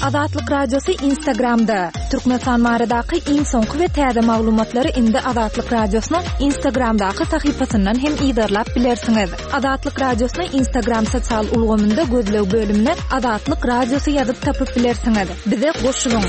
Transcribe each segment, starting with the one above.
Azatlyk Radiosy Instagramda! Türkmenistan baradaky iň soňky we täze maglumatlary indi Azatlyk Radiosynyň Instagramdaky sahypasyndan hem yzarlap bilersiňiz. Azatlyk Radiosyny Instagram sosial ulgamynda gözleg bölümine Azatlyk Radiosy ýazyp tapyp bilersiňiz. Bize goşulyň!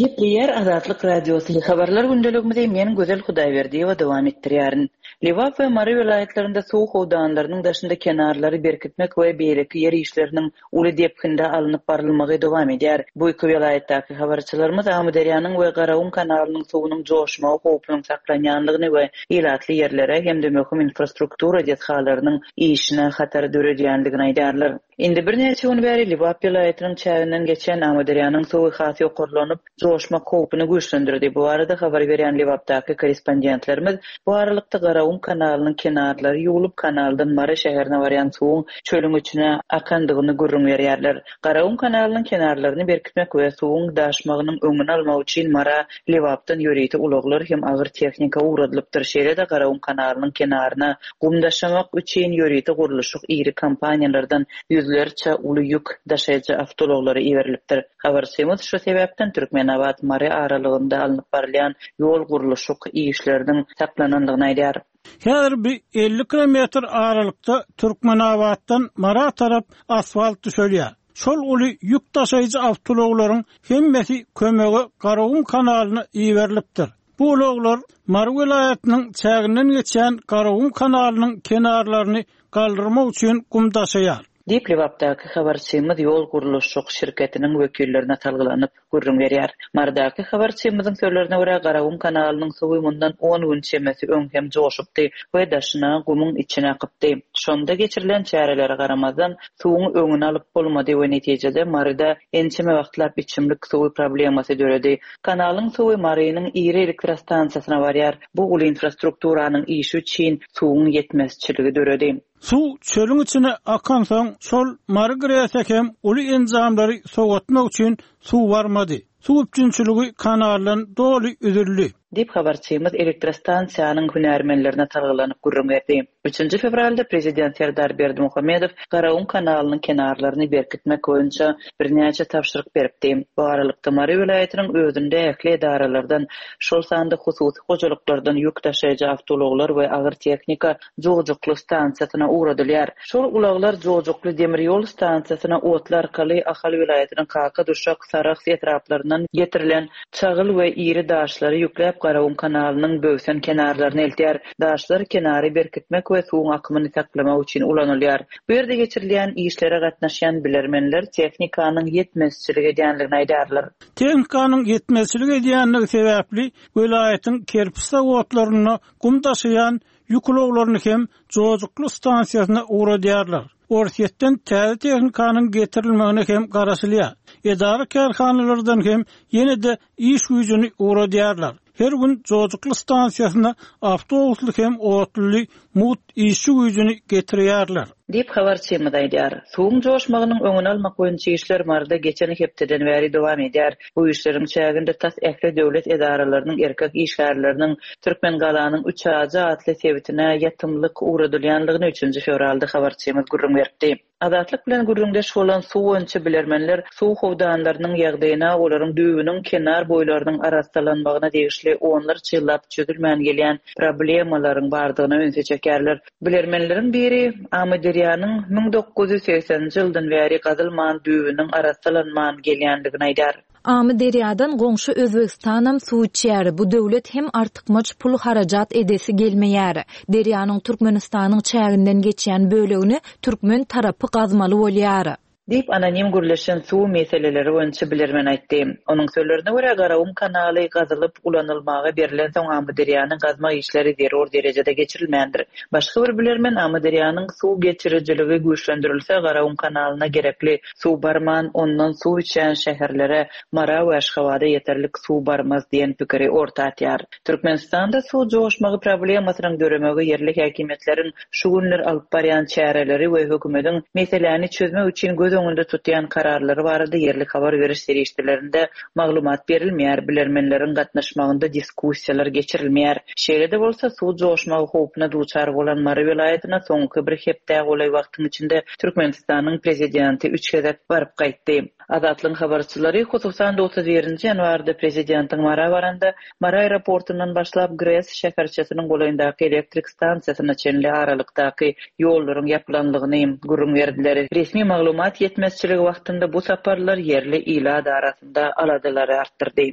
Gepleýär Azatlyk Radiosy, Habarlar gündeligimizi men Gözel Hudaýberdiýewa dowam etdirýärin. Lebap we Mary welaýatlarynda suw howdanlarynyň daşynda kenarlary berkitmek we beýleki ýer işleriniň uly depginde alnyp barylmagy dowam edýär. Bu iki welaýatdaky habarçylarymyz Amyderýanyň we Garagum kanalynyň suwunyň joşmagy howpunyň saklanýandygyny we ilatly ýerlere hem-de möhüm infrastruktura desgalarynyň işine hatar döredýändigini aýdýarlar. Indi birnäçe gün bäri Lebap welaýatynyň çäginden geçýän Amyderýanyň suwy has ýokarlanyp, joşmak howpuny güýçlendirdi. Bu barada habar berýän Lebapdaky korrespondentlerimiz bu aralykda Garagum kanalynyň kenarlary ýuwlup, kanaldan Mary şäherine barýan suwuň çölüň içine akandygyny gürrüň berýärler. Garagum kanalynyň kenarlaryny berkitmek we suwuň daşmagynyň öňüni almak üçin Mara Lebapdan ýörite ulaglar hem agyr tehnika ugradylypdyr. Şeýle-de Garagum kanalynyň kenaryna Gum daşamak üçin ýörite gurluşyk iri kompaniýalardan ýüzlerçe uly ýük daşaýjy awtoulaglary iberilipdir. Habarçymyz şu sebäpden Türkmenabat-Mary aralygynda alnyp barylýan ýol gurluşyk işleriniň saklanandygyny aýdýar. Häzir bir 50 kilometr aralykda Türkmenabatdan Mara tarap asfalt düşelýär. Şol uly ýük daşaýjy awtoulaglaryň hemmesi kömege Garagum kanalyna iberilipdir. Bu ulaglar Mary welaýatynyň çäginden geçýän Garagum kanalynyň kenarlaryny galdyrmak üçin gum daşaýar. Diýip, Lebapdaky habarçymyz ýol gurluşyk şirketiniň wekillerine salgylanyp, gürrüň berýär. Marydaky habarçymyzyň sözlerine görä, Garagum kanalynyň suwy mundan on gün çemesi öň hem joşupdy we daşyna gumuň içine akypdy. Şonda geçirilen çärelere garamazdan, suwuň öňüni alyp bolmady we netijede Maryda ençeme wagtlap içimlik suwy problemasy döredi. Kanalyň suwy Marynyň iri elektrostansiýasyna barýar. Bu uly infrastrukturanyň işi üçin suwuň ýetmezçiligi döredi. Suw çölüň içine akansoň, şol Mary GRES-e hem uly enjamlary sowatmak üçin suw barmady. Suw üpjünçiligi kanaldan doly üzüldi. Diýip, habarçymyz elektrostansiýanyň hünärmenlerine salgylanyp gürrüň berdi. Üçünji fewralda prezident Serdar Berdimuhamedow Garagum kanalynyň kenarlaryny berkitmek boýunça birnäçe tabşyryk beripdi. Bu aralykda, Mary welaýatynyň özünde ähli edaralardan, şol sanda hususy hojalyklardan ýük daşaýjy awtoulaglar we agyr tehnika Jojukly stansiýasyna ugradylýar. Şol ulaglar Jojukly demir ýol stansiýasyna otly arkaly Ahal welaýatynyň Kaka, Duşak, Sarahs etraplaryndan getirilen çagyl we iri daşlary ýükläp Garagum kanalynyň böwsen kenarlaryna eltýär. Daşlar kenary berkitmek we suwuň akymyny saklamak üçin ulanylýar. Bu ýerde geçirilýän işlere gatnaşýan bilermenler tehnikanyň ýetmezçilik edýändigini aýdýarlar. Tehnikanyň ýetmezçilik edýändigi sebäpli welaýatyň kerpiç zawodlarynda gum daşaýan ýük ulaglaryny hem Jojukly stansiýasyna ugradýarlar. Orsýetden täze tehnikanyň getirilmegine hem garaşylýar. Edara-kärhanalardan hem ýene-de iş güýjüni ugradýarlar. Her gün Jojukly stansiýasyna awtobusly hem otluly mugt işçi güýjüni getirýärler. Diýip, habarçymyz aýdýar. Suwuň joşmagynyň öňüni almak boýunça işler Maryda geçen hepdeden bäri dowam edýär. Bu işleriň çäginde tas ähli döwlet edaralarynyň erkek işgärleriniň Türkmengalanyň Üçajy atly sebitine ýatymlyk ugradylýandygyny üçünji fewralda habarçymyz gürrüň beripdi. Azatlyk bilen gürrüňdeş bolan suw boýunça bilermenler suw howdanlarynyň ýagdaýyna, olaryň düýbüniň kenar boýlarynyň arassalanmagyna degişli onlarça ýyllap çözülmän gelýän problemalaryň bardygyna ünsi çekýärler. Bilermenleriň biri Amyderýanyň 1980-nji ýyldan bäri gazylman, düýbüniň arassalanman gelýändigini aýdýar. Amyderýadan goňşy Özbegistanam suw içýär, bu döwlet hem artykmaç pul harajat edesi gelmeýär. Derýanyň Türkmenistanyň çäginden geçýän bölegini türkmen tarapy gazmaly bolýar. Diýip, anonim gürleşen suw meseleleri boýunça bilermen aýtdy. Onuň sözlerine görä, Garagum kanaly gazylyp ulanylmaga berlensoň Amyderýany gazmak işleri zerur derejede geçirilmändir. Başga bir bilermen Amyderýanyň suw geçirijiligi güýçlendirilse, Garagum kanalyna gerekli Suw barman, ondan suw içýän şäherlere, Mara we Aşgabada ýeterlik suw barmaz diýen pikiri orta atýar. Türkmenistanda suw joşmagy problemasynyň döremegi ýerli häkimiýetleriň şu günler alyp barýan çäreleri we hökümetiň meseläni çözmek üçin göz. öňünde tutýan kararlary barada ýerli habar beriş serişdelerinde maglumat berilmeýär, bilermenleriň gatnaşmagynda diskussiýalar geçirilmeýär. Şeýle-de bolsa, suw joşmagy howpuna duçar bolan Mary welaýatyna soňky bir hepdä golaý wagtyň içinde Türkmenistanyň prezidenti üç gezek baryp gaýtdy. Azatlygyň habarçylary, hususan-da, 31 nji ýanwarda prezidentiň Mara baranda, Mary aeroportundan başlap GRES şäherçesiniň golaýyndaky elektrik stansiýasyna çenli aralykdaky ýollaryň ýapylanlygyny gürrüň berdiler. Resmi maglumat ýetmezçiligi wagtynda bu saparlar ýerli ilat arasynda aladalary artdyrdy.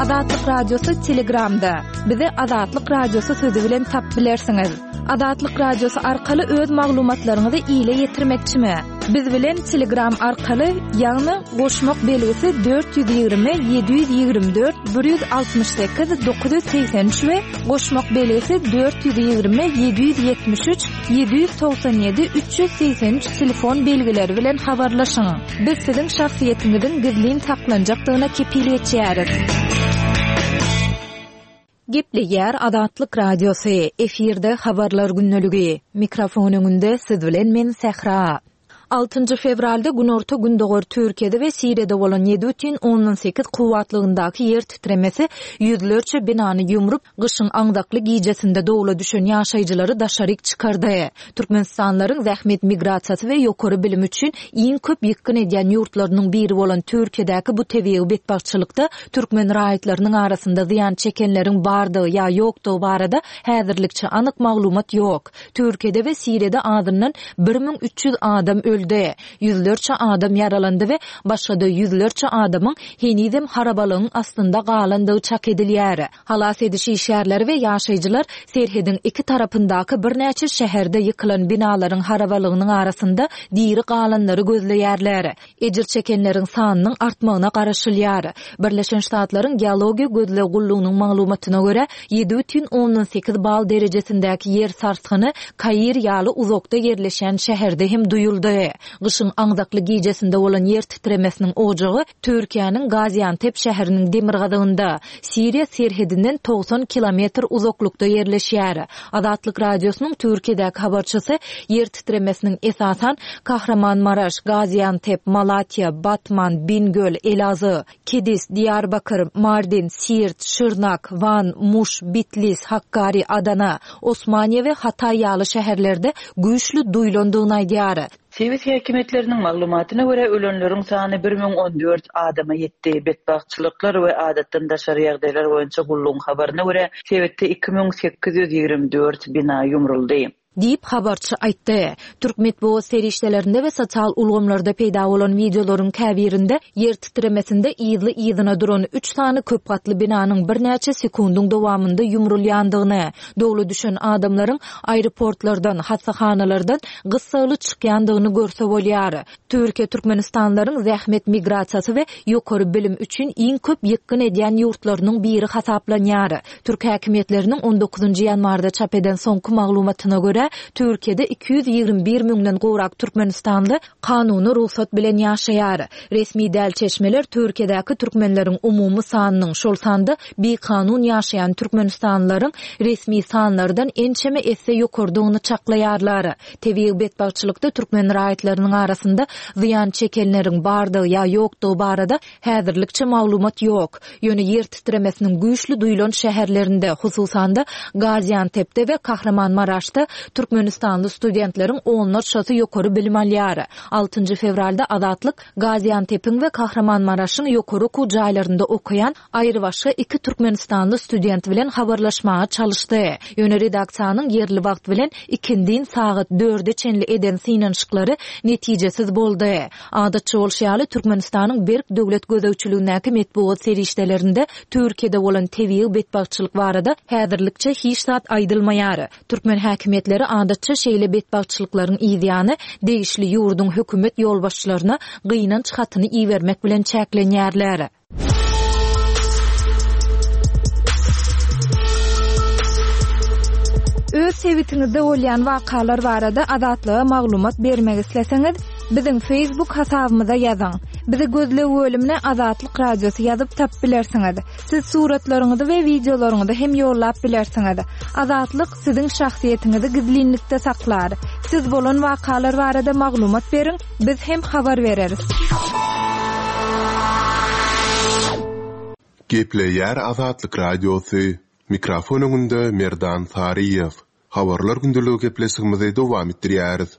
Azatlyk Radiosy Telegramda. Bizi Azatlyk Radiosy sözi bilen tapyp bilersiňiz. Azatlyk Radiosy arkaly öz maglumatlaryňyzy ile ýetirmekçimi? Biz bilen Telegram arkaly, ýagny goşmak belgisi 420 724 168 983 we goşmak belgisi 420 773 797 383 telefon belgileri bilen habarlaşyň. Biz siziň şahsyýetiňiziň gizlin saklanjakdygyna kepil geçýäris. Gepleýär Azatlyk Radiosy, efirde Habarlar gündeligi. Mikrofon öňünde siz bilen men Sähra. Altynjy fewralda günorta-gündogar Türkiýede we Siriýada bolan 7,8 kuwwatlygyndaky ýer titremesi ýüzlerçe binany ýumrup, gyşyň aňzakly gijesinde dowla düşen ýaşaýjylary daşaryk çykardy. Türkmenistanlylaryň zähmet migrasiýasy we ýokary bilim üçin iň köp ýykgyn edýän ýurtlarynyň biri bolan Türkiýedäki bu tebigy betbagtçylykda türkmen raýatlarynyň arasynda zyýan çekenleriň bardygy ýa ýokdugy barada häzirlikçe anyk maglumat ýok. Türkiýede we Siriýada azyndan 1300 adam öldi, ýüzlerçe adam ýaralandy we başga-da ýüzlerçe adamyň henizem harabalygyň astynda galandygy çak edilýär. Halas ediş işgärleri we ýaşaýjylar serhediň iki tarapyndaky birnäçe şäherde ýykylan binalaryň harabalygynyň arasynda diri galanlary gözleýärler. Ejir çekenleriň sanynyň artmagyna garaşylýar. Birleşen Ştatlaryň Geologiýa gözleg gullugynyň maglumatyna görä, 7,8 bal derejesindäki ýer sarsgyny Kair ýaly uzakda ýerleşýän şäherde hem duýuldy. Gyşyň aňzakly gijesinde bolan ýer titremesiniň ojagy Türkiýäniň Gaziantep şäheriniň demirgazygynda, Siriýa serhedinden 90 kilometr uzaklykda ýerleşýär. Azatlyk Radiosynyň Türkiýedäki habarçysy ýer titremesiniň esasan Kahramanmaraş, Gaziantep, Malatýa, Batman, Bingöl, Elazyg, Kedis, Diýarbakyr, Mardin, Siirt, Şyrnak, Wan, Muş, Bitlis, Hakkari, Adana, Osmaniýe we Hataý ýaly şäherlerde güýçli duýlandygyny aýdýar. Sebit häkimiýetleriniň maglumatyna görä, ölenleriň sany 1014 adama ýetdi. Betbagtçylyklar we adatdan daşary ýagdaýlar boýunça gullugyň habaryna görä, sebitde 2824 bina ýumruldy. Diýip, habarçy aýtdy. Türk metbugat serişdelerinde we sosial ulgamlarda peýda bolan wideolaryň käbirinde ýer titremesinde yzly-yzyna duran üç sany köp gatly binanyň birnäçe sekundyň dowamynda ýumrulýandygyny, Dowla düşen adamlaryň aeroportlardan, hassahanalardan gyssagly çykýandygyny görse bolýar. Türkiýe türkmenistanlylaryň zähmet migrasiýasy we ýokary bilim üçin iň köp ýykgyn edýän ýurtlarynyň biri hasaplanýar. Türk häkimiýetleriniň on dokuzynjy ýanwarda çap eden soňky maglumatyna görä, Türkiýede 221 müňden gowrak türkmenistanly kanuny rugsat bilen ýaşaýar. Resmi däl çeşmeler Türkiýedäki türkmenleriň umumy sanynyň, şol sanda bikanun ýaşaýan türkmenistanlylaryň resmi sanlardan ençeme esse ýokarydygyny çaklaýarlar. Tebigy betbagtçylykda türkmen raýatlarynyň arasynda zyýan çekenleriň bardygy ýa ýokdugy barada Häzirlikçe maglumat ýok. Ýöne ýer titremesiniň güýçli duýlan şäherlerinde, hususan-da, Gaziantepde we Kahramanmaraşda türkmenistanly studentleriň onlarçasy ýokary bilim alýar. Altynjy fewralda Azatlyk Gaziantepiň we Kahramanmaraşyň ýokary okuw jaýlarynda okaýan aýrybaşga iki türkmenistanly student bilen habarlaşmaga çalyşdy. Ýöne redaksiýanyň ýerli wagt bilen ikindin sagat dörde çenli eden synanyşyklary netijesiz boldy. Adatça bolşy ýaly, Türkmenistanyň berk döwlet gözegçiligindäki metbugat serişdelerinde Türkiýede bolan tebigy betbagtçylyk barada häzirlikçe hiç zat aýdylmaýar. Türkmen häkimiýetleri adatça şeýle betbagtçylyklaryň yzýany degişli ýurduň hökümet ýolbaşçylaryna gynanç hatyny ibermek bilen çäklenýärler. Öz sebitiňizde bolýan wakalar barada Azatlyga maglumat bermek isleseňiz, biziň Facebook hasabymyza ýazyň. Bizi gözleg bölümine Azatlyk Radiosy ýazyp tapyp bilersiňiz. Siz suratlaryňyzy we wideolaryňyzy hem ýollap bilersiňiz. Azatlyk siziň şahsyýetiňizi gizlinlikde saklar. Siz bolan wakalar barada maglumat beriň, biz hem habar bereris. Gepleýär Azatlyk Radiosy, Mikrofon öňünde Merdan Saryýew. Habarlar gündeligi gepleşigimizi dowam etdirýäris.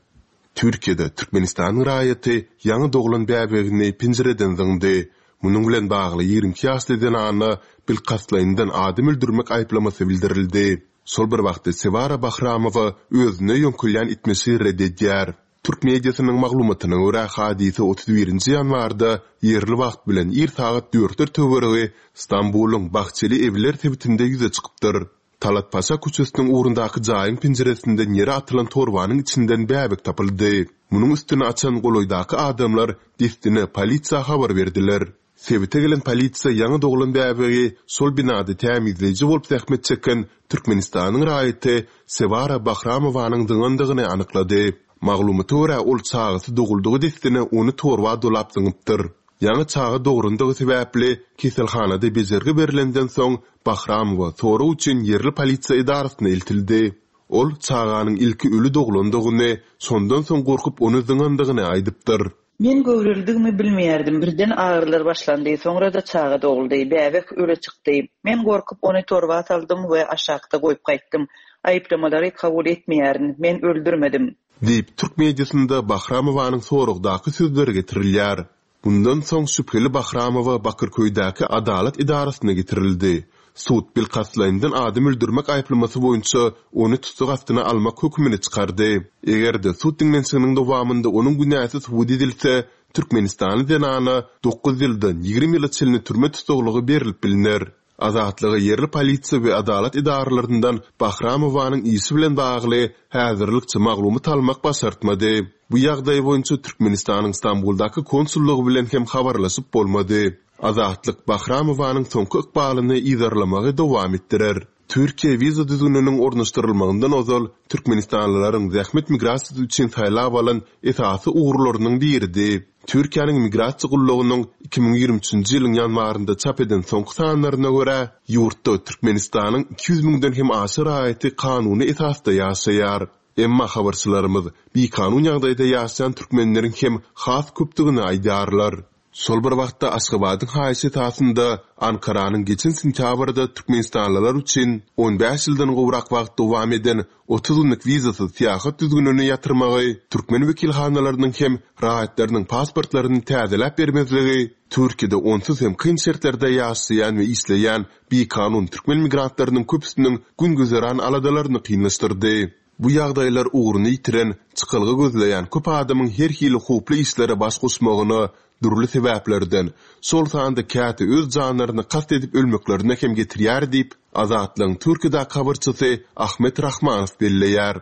Türkiýede Türkmenistanyň raýaty ýaňy doglan bäbegini penjireden zyňdy. Munuň bilen bagly 22 ýaşly zenana bilkastlaýyndan adam öldürmek aýyplamasy bildirildi. Şol bir wagtda Sewara Bahramowa özüne ýöňkelýän etmişi ret edýär. Türk mediasynyň maglumatyna görä, hadysa 31 nji ýanwarda ýerli wagt bilen ir sagat dörtler töweregi Stambulyň Bahçeli Ewler sebitinde ýüze çykypdyr. Talat Paşa köçesiniň ugrundaky jaýyň penjiresinden ýere atylan torbanyň içinden bäbek tapyldy. Munuň üstüni açan golaýdaky adamlar dessine polisiýa habar berdiler. Sebite gelen polisiýa ýaňy doglan bäbegi şol binada tämizleýji bolup zähmet çeken Türkmenistanyň raýaty Sewara Bahramowanyň zyňandygyny anyklady. Maglumata görä, ol çagasy doguldygy dessine ony torba dolap zyňypdyr. Ýaňy çaga dograndygy sebäpli keselhanada bejergi berlenden soň Bahramowa sorag üçin ýerli polisiýa edarasyna eltildi. Ol çaganyň ilki öli doglandygyny, şondan soň gorkup ony zyňandygyny aýdypdyr. Men göwrelidigimi bilmeýärdim. Birden agyrylar başlandy, soňra-da çaga doguldy. Bäbek öle çykdy. Men gorkup ony torba saldym we aşakda goýup gaýtdym. Aýyplamalary kabul etmeýärin. Men öldürmedim. Diýip, türk mediasynda Bahramowanyň soragdaky sözleri getirilýär. Mundan soň şübheli Bahramowa Bakyrköýdäki adalat edarasyna getirildi. Sud bilkastlaýyndan adam öldürmek aýyplamasy boýunça ony tussag astyna almak hökümini çykardy. Eger-de sud diňlenişiginiň dowamynda onuň günäsi subut edilse, türkmenistanly zenana dokuz ýyldan 20 ýyla çenli türme tussaglygy berlip bilner. Azatlyga ýerli polisiýa we adalat edaralaryndan Bahramowanyň işi bilen bagly häzirlikçe maglumat almak başartmady. Bu ýagdaý boýunça Türkmenistanyň Stambuldaky konsullygy bilen hem habarlaşyp bolmady. Azatlyk Bahramowanyň soňky ykbalyny yzarlamagy dowam etdirer. Türkiýe wiza düzgüniniň ornaşdyrylmagyndan ozal türkmenistanlylaryň zähmet migrasiýasy üçin saýlap alan esasy ugurlarynyň biridi. Türkiýäniň Migrasiýa gullugynyň 2023-nji ýylyň ýanwarynda çap eden soňky sanlaryna görä, ýurtda Türkmenistanyň 200 müňden hem aşa raýaty kanuny esasda ýaşaýar. Emma habarçylarymyz bikanun ýagdaýda ýaşaýan türkmenleriň hem has köpdügini aýdýarlar. Şol bir wagtda Aşgabadyň haýyşy esasynda Ankaranyň geçen sentýabrda türkmenistanlylar üçin 15 ýyldan gowrak wagt dowam eden 30 günlük wizasyz syýahat düzgünini ýatyrmagy, türkmen wekilhanalarynyň hem raýatlarynyň pasportlaryny täzeläp bermezligi Türkiýede onsuz hem kyn şertlerde ýaşaýan we işleýän bikanun türkmen migrantlarynyň köpüsiniň gün-güzeran aladalaryny kynlaşdyrdy. Bu ýagdaýlar ugruny ýitiren, çykalga gözleýän köp adamyň her hili howply işlere baş goşmagyna, dürli sebäplerden, şol sanda käte öz janlaryna kast edip ölmeklerine hem getirýär diýip, Azatlygyň Türkiýedäki habarçysy Ahmet Rahmanow belleýär.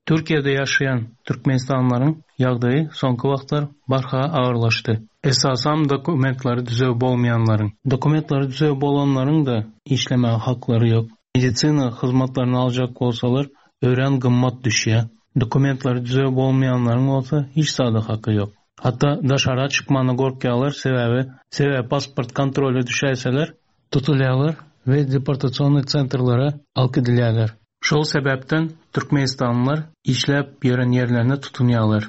Türkiýede ýaşaýan türkmenistanlylaryň ýagdaýy soňky wagtlar barha agyrlaşdy. Esasam dokumentleri düzüw bolmaýanlaryň. Dokumentleri düzüw bolanlaryň-da işlemäge haklary ýok. Medisina hyzmatlaryny aljak bolsalar örän gymmat düşýär. Dokumentleri düzüw bolmaýanlaryň bolsa hiç zada haky ýok. Hatda daşara çykmana gorkýarlar sebäbi sebäbi pasport kontrola düşäýseler tutulýarlar we deportasionnyý sentrlere alyp gidilýärler. Şol sebäpden türkmenistanlylar işläp ýören ýerlerine tutunýarlar,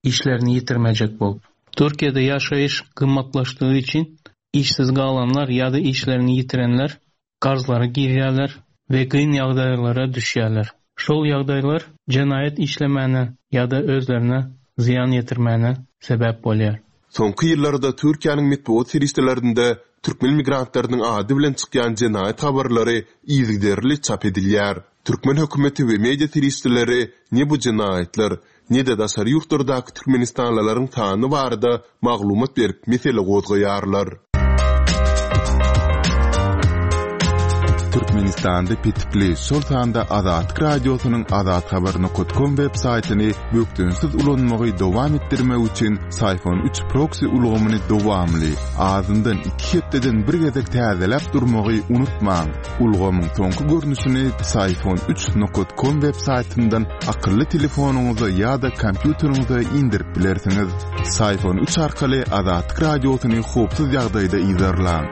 işlerini ýitirmejek bolup. Türkiýede ýaşaýyş gymmatlaşdygy üçin işsiz galanlar ýa-da işlerini ýitirenler karzlara girýärler we kyn ýagdaýlara düşýärler. Şol ýagdaýlar jenaýat işlemäne ýa-da özlerine zyýan ýetirmäne sebäp bolýar. Soňky ýyllarda Türkiýäniň metbugat serişdelerinde türkmen migrantlarynyň ady bilen çykýan jenaýat habarlary yzygiderli çap edilýär. Türkmen hökümeti we media serişdeleri ne bu jenaýatlar, ne-de daşary ýurtlardaky türkmenistanlylaryň sany barada maglumat berip mesele gozgaýarlar. Türkmenistanda petikli, şol sanda Azatlyk Radiosynyň azathabar nokat kom web saýtyny bökdençsiz ulanmagy dowam etdirmek üçin Syfon 3 proksi ulgamyny dowamly, azyndan iki hepdeden bir gezek täzeläp durmagy unutmaň. Ulgamyň soňky görnüşini Syfon 3 nokat kom web saýtyndan akylly telefonyňyza ýa-da kompýuteriňize indirip bilersiňiz. Syfon 3 arkaly Azatlyk Radiosyny howpsuz ýagdaýda yzarlaň.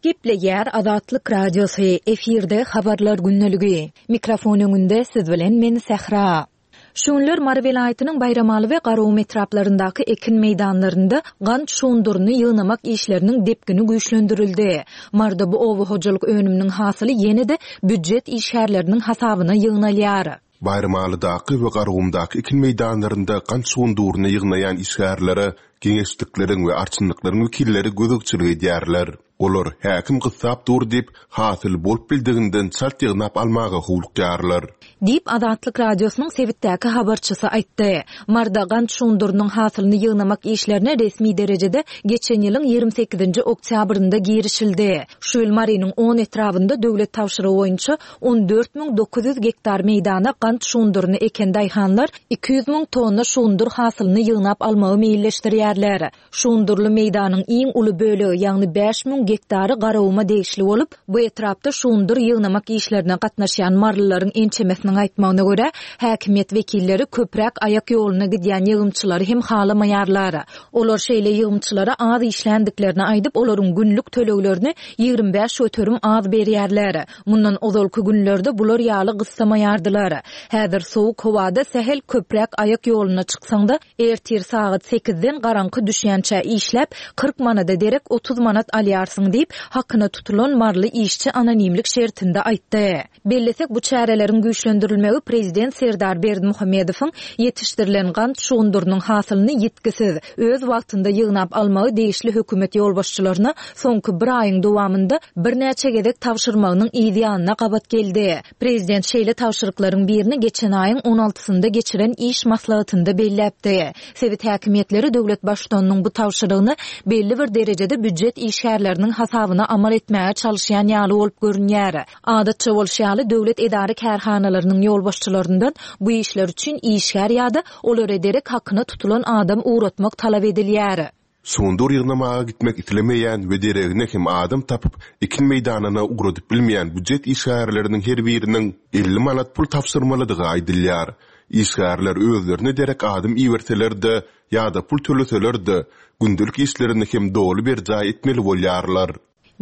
Gepleýär Azatlyk Radiosy, efirde Habarlar gündeligi. Mikrofon öňünde siz bilen men Sähra. Şu günler Mary welaýatynyň Baýramaly we Garagum etraplaryndaky ekin meýdanlarynda gant şunduryny ýygnamak işleriniň depgini güýçlendirildi. Maryda bu oba hojalyk önüminiň hasyly ýene-de býujet işgärleriniň hasabyna ýygnalýar. Baýramalydaky we Garagumdaky ekin meýdanlarynda gant şunduryny ýygnaýan işgärlere geňeşlikleriň we arçynlyklaryň wekilleri gözegçilik edýärler. Olar, häkim gyssap dur diýip, hasyly bolup bildiginden çalt ýygnap almaga howlukýarlar. Diýip, Azatlyk Radiosynyň sebitdäki habarçysy aýtdy. Maryda gant şundurynyň hasylyny ýygnamak işlerine resmi derejede geçen ýylyň 28-nji oktýabrynda girişildi. Şu ýyl Marynyň on etrabynda döwlet tabşyrygy boýunça 14 900 gektar meýdana gant şunduryny eken daýhanlar 200 müň tonna şundur hasylyny ýygnap almagy meýilleşdirýärler. Şundurly meýdanyň iň uly bölegi, ýagny 5000 gektary Garaguma degişli bolup, bu etrapda şundur ýygnamak işlerine gatnaşýan marylylaryň ençemesiniň aýtmagyna görä, häkimiýet wekilleri köpräk aýak ýoluna gidýän ýygymçylary hem halamaýarlar. Olar şeýle ýygymçylara az işländiklerini aýdyp, olaryň günlük töleglerini 25% az berýärler. Mundan ozalky günlerde bular ýaly gyssamaýardylar. Häzir sowuk howada sähel köpräk aýak ýoluna çyksaň-da, Ertir sagat sekizden garaňky düşýänçä işläp, 40 manada derek 30 manat alýarsyň diýip, hakyna tutulan maryly işçi anonimlik şertinde aýtdy. Bellesek, bu çäreleriň güýçlendirilmegi prezident Serdar Berdimuhamedowyň ýetişdirilen gant şugundyrynyň hasylyny ýitgisiz, öz wagtynda ýygnap almagy degişli hökümet ýolbaşçylaryna soňky bir aýyň dowamynda birnäçe gezek tabşyrmagynyň yz ýanyna gabat geldi. Prezident şeýle tabşyryklaryň birini geçen aýyň on altysynda geçiren iş maslahatynda belläpdi. Sebit häkimiýetleri döwlet Baştutanynyň bu tabşyrygyny belli bir derejede býujet işgärleriniň hasabyna amal etmäge çalyşýan ýaly bolup görünýär. Adatça bolşy ýaly, döwlet edara-kärhanalarynyň ýolbaşçylaryndan bu işler üçin işgär ýa-da olara derek hakyna tutulan adam ugratmak talap edilýär. Şundur ýygnamaga gitmek islemeýän we deregine hem adam tapyp, ekin meýdanyna ugradyp bilmeýän býujet işgärleriniň her biriniň 50 manat pul tabşyrmalydygy aýdylýar. Işgärler özlerine derek adam iberseler-de ýa-da pul töleseler-de, gündelik işlerini hem doly berjaý etmeli bolýarlar.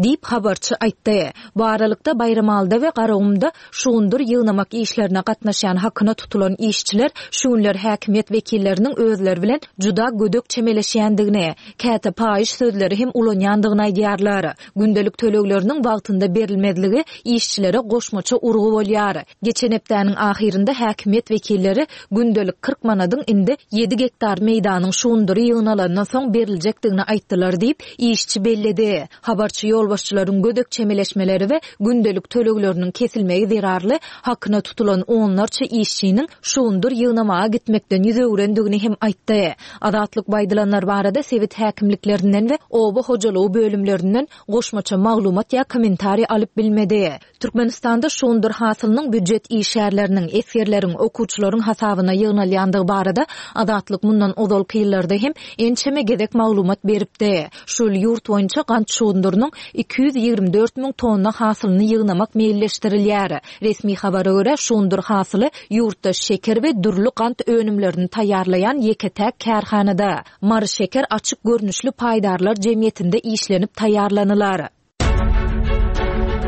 Diýip, habarçy aýtdy. Bu aralykda, Baýramalyda we Garagumda şugundyr ýygnamak işlerine gatnaşýan hakyna tutulan işçiler şu günler häkimiýet wekilleriniň özleri bilen juda gödek çemeleşýändigini, käte paýyş sözleri hem ulanýandygyny aýdýarlar. Gündelik tölegleriniň wagtynda berilmezligi işçilere goşmaça urgy bolýar. Geçen hepdäniň ahyrynda häkimiýet wekilleri gündelik 40 manadyň indi ýedi gektar meýdanyň şugundyry ýygnalandan soň beriljekdigini aýtdylar diýip, işçi belledi. Habarçy ýolbaşçylaryň gödek çemeleşmeleri we gündelik tölegleriniň kesilmegi zerarly hakyna tutulan onlarça işçiniň şugundyr ýygnamaga gitmekden ýüz öwrendigini hem aýtdy. Azatlyk bu aýdylanlar barada sebit häkimliklerinden we oba hojalygy bölümlerinden goşmaça maglumat ýa kommentariý alyp bilmedi. Türkmenistanda şundur hasylynyň býujet işgärleriniň, esgerleriň, okuwçylaryň hasabyna ýygnalýandygy barada Azatlyk mundan ozalky ýyllarda hem ençeme gezek maglumat beripdi. Şu ýyl ýurt boýunça gant şundurynyň 224 müň tonna hasylyny ýygnamak meýilleşdirilýär. Resmi habara görä, şundur hasyly ýurtda şeker we dürli gant önümlerini taýýarlaýan ýeke-täk kärhanada, Maryşeker açyk görnüşli paýdarlar jemgyýetinde işlenip taýýarlanylar.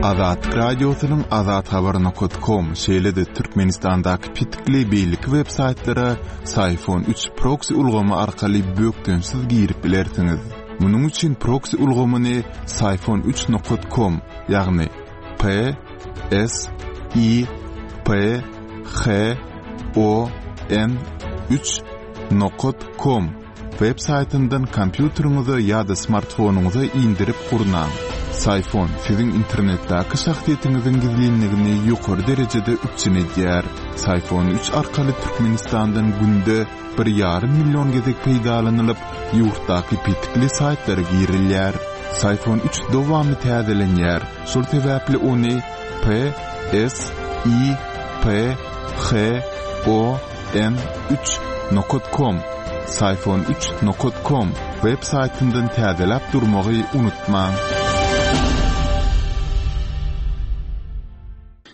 Azatlyk Radiosynyň Azathabar nokat kom, şeýle-de Türkmenistandaky petikli beýleki web saýtlara Syfon 3 proksi ulgamy arkaly bökdençsiz girip bilersiňiz. Munuň üçin proksi ulgamyny Syfon 3 nokat kom, ýagny P S I P H O N 3 nokat kom Web saýtyndan kompýuteriňize ýa-da smartfonyňyza indirip gurnaň. Syfon siziň internetdäki şahsyýetiňiziň gizlinligini ýokary derejede üpjün edýär. Syfon 3 arkaly Türkmenistandan günde bir ýarym million gezek peýdalanylyp, ýurtdaky petikli saýtlara girilýär. Syfon 3 dowamly täzelenýär, şol sebäpli ony P S I P H O N 3 nokat kom Syfon 3 nokat kom web saýtyndan täzeläp durmagy unutmaň.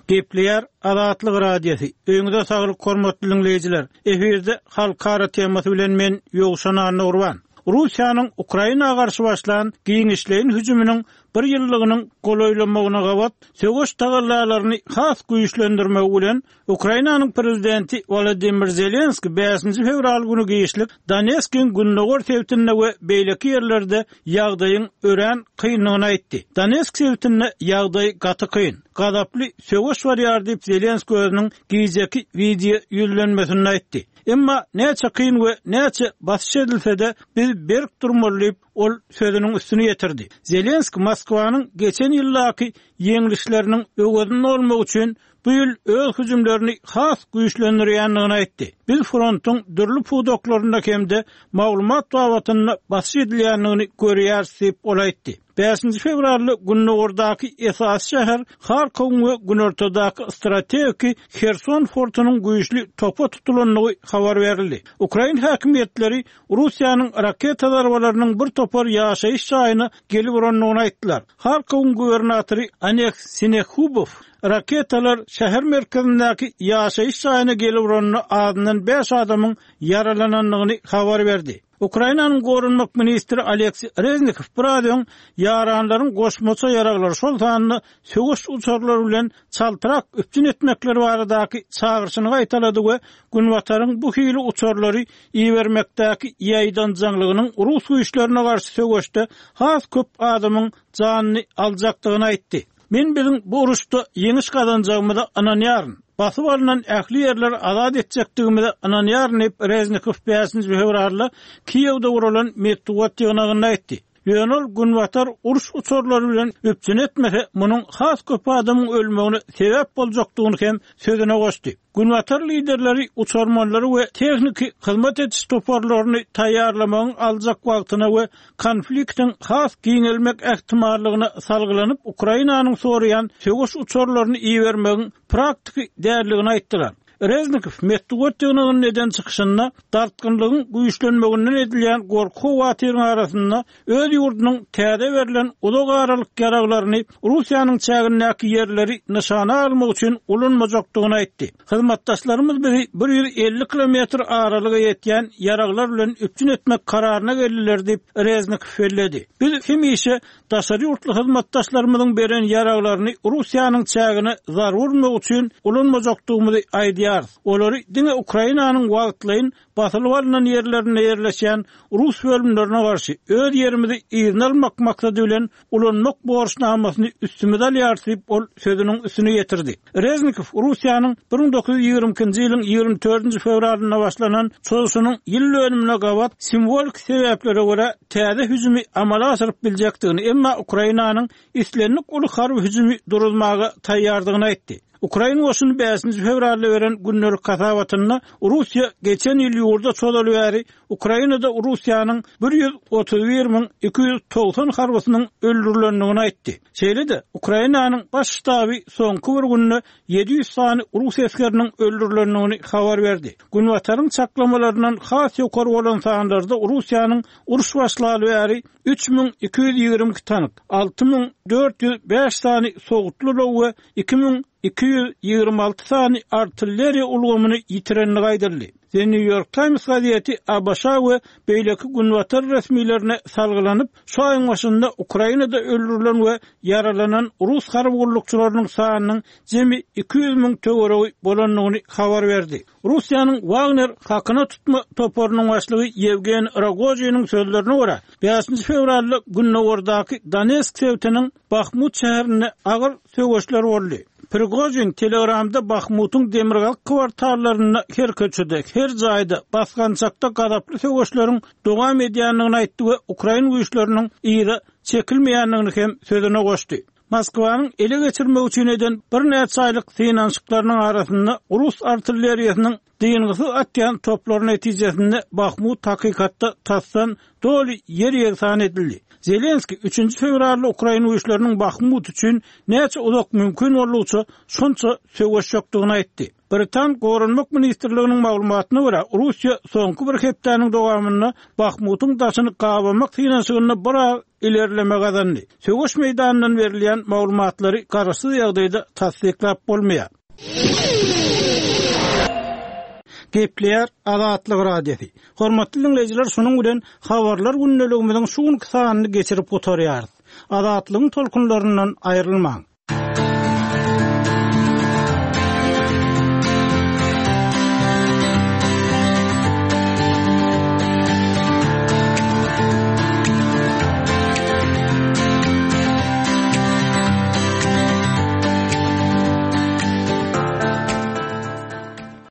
Gepleýär Azatlyk Radiosy. Öýüňize saglyk hormatly diňleýjiler. Efirde halkara temasy bilen men Ýowşan Annagurban. Russiýanyň Ukraina garşy başlan giňişleýin hüjüminiň. bir ýyllygynyň golaýlamagyna gabat söweş tagallalaryny has güýçlendirmegi bilen, Ukrainanyň prezidenti Wolodymyr Zelenskiý bäşinji fewral güni giçlik Donetskiň gündogar sebitinde we beýleki ýerlerde ýagdaýyň örän kyndygyny aýtdy. Donetsk sebitinde ýagdaý gaty kyn. Gazaply söweş barýar diýip, Zelenskiý özüniň gijeki wideo ýüzlenmesinde aýtdy. Emma näçe kyn we näçe basyş edilse-de, biz berk durmaly diýip, ol sözüniň üstüni ýetirdi. Zelenskiý Moskwanyň geçen ýyldaky ýeňlişleriniň öwezini dolmak üçin bu ýyl öz hüjümlerini has güýçlendirýändigini aýtdy. Biz frontuň dürli pudaklarynda hem-de maglumat babatynda basyş edilýändigini görýäris diýip, ol aýtdy. Bäşinji fewralda gündogardaky esasy şäher Harkowyň we günortadaky strategiki Herson fortunyň güýçli topa tutulandygy habar berildi. Ukrain häkimiýetleri Russiýanyň raketa zarbalarynyň bir topar ýaşaýyş jaýyna gelip urandygyny aýtdylar. Harkowyň gubernatory Oleg Sinehubow raketalar şäher merkezindäki ýaşaýyş jaýyna gelip uranda azyndan bäş adamyň ýaralanandygyny habar berdi. Ukrainanyň goranmak ministri Oleksiý Reznikow biraz öň ýaranlaryň goşmaça ýaraglary, şol sanda söweş uçarlary bilen çaltrak üpjün etmekleri baradaky çagyryşyny gaýtalady we Günbataryň bu hili uçarlary ibermekdäki ýaýdanjaňlygynyň rus güýçlerine garşy söweşde has köp adamyň janyny aljakdygyny aýtdy. Men biziň bu uruşda ýeňiş gazanjagymyza ynanýaryn. Basyp alnan ähli ýerleri azat etjekdigimize ynanýaryn diýip, Reznikow bäşinji fewralda Kiýewde guralan metbugat ýygnagynda aýtdy. Ýöne ol Günbatar uruş uçarlary bilen üpjün etmese, munuň has köp adamyň ölmegine sebäp boljakdygyny hem sözüne goşdy. Günbatar liderleri uçarmanlary we tehniki hyzmat ediş toparlaryny taýýarlamagyň aljak wagtyna we konfliktiň has giňelmek ähtimallygyna salgylanyp, Ukrainanyň soraýan söweş uçarlaryny ibermegiň praktiki däldigini aýtdylar. Reznikow metbugat ýygnagynda eden çykyşynda dartgynlygyň güýçlenmeginden edilýän gorky-howatyryň arasynda öz ýurdunyň täze berlen uzak aralyk ýaraglaryny Russiýanyň çägindäki ýerleri nyşana almak üçin ulanmajakdygyny aýtdy. Hyzmatdaşlarymyz bizi 150 kilometr aralyga ýetýän ýaraglar bilen üpjün etmek kararyna geldiler diýip, Reznikow belledi. Biz hemişe daşary ýurtly hyzmatdaşlarymyzyň beren ýaraglaryny Russiýanyň çägine zarba urmak üçin ulanmajakdygymyzy aýdýarys. Olary diňe Ukrainanyň wagtlaýyn basylyp alnan ýerlerinde ýerleşýän rus bölümlerine garşy öz ýerimizi yzyna almak maksady bilen ulanmak borçnamasyny üstümize alýarys diýip, ol sözüniň üstüni ýetirdi. Reznikow Russiýanyň 1922-nji ýylyň 24-nji fewralynda başlanan çozuşynyň ýyl dönümine gabat simwolik sebäplere görä täze hüjümi amala aşyryp biljekdigini, emma Ukrainanyň islendik uly harby hüjümi duruzmaga taýýardygyny aýtdy. Ukrain goşuny bäşinji fewralda beren gündelik hasabatynda Russiýa geçen ýyl ýurda çozaly bäri Ukrainada Russiýanyň 131 290 harbysynyň öldürilendigini aýtdy. Şeýle-de, Ukrainanyň Baş ştaby soňky bir günde 700 sany rus esgeriniň öldürilendigini habar berdi. Günbataryň çaklamalaryndan has ýokary bolan sanlarda Russiýanyň uruş başlaly bäri 3222 tank, 6405 sany sowutly ulag we 2226 sany artilleriýa ulgamyny ýitirendigi aýdyldy. The New York Times gazeti ABŞ-a we beýleki günbatar resmilerine salgylanyp, şu aýyň başynda Ukrainada öldürilen we ýaralanan rus harby gullukçylarynyň sanynyň jemi 200 müň töweregi bolandygyny habar berdi. Russiýanyň Wagner hakyna tutma toparynyň başlygy Ýewgeniý Rogoziniň sözlerine görä, bäşinji fewralda gündogardaky Donetsk sebitiniň Bahmut şäherinde agyr söweşler boldy. Prigožin Telegramda Bahmutyň demirgazyk kwartallarynda her köçede, her jaýda, basgançakda gazaply söweşleriň dowam edýändigini aýtdy we ukrain güýçleriniň yza çekilmeýändigini hem sözüne goşdy. Moskwanyň ele geçirmek üçin eden birnäçe aýlyk synanyşyklarynyň arasynda rus artilleriýasynyň dyngysyz atýan toplary netijesinde Bahmut hakykatda tasdan doly ýer-ýegsan edildi. Zelenskiý üçünji fewralda ukrain güýçleriniň Bahmut üçin näçe uzak mümkin boldugyça şonça söweşjekdigini aýtdy. Britan Goranmak ministrliginiň maglumatyna görä, Russiýa soňky bir hepdäniň dowamynda Bahmutyň daşyny gabamak synanyşygynda biraz ilerleme gazandy. Söweş meýdanyndan berilýän maglumatlary garaşsyz ýagdaýda tassyklap bolmaýar. Gepleýär Azatlyk Radiosy. Hormatly diňleýjiler, şunuň bilen Habarlar gündeligimiziň şu günki sanyny geçirip gutarýarys. Azatlygyň tolkunlaryndan aýrylmaň!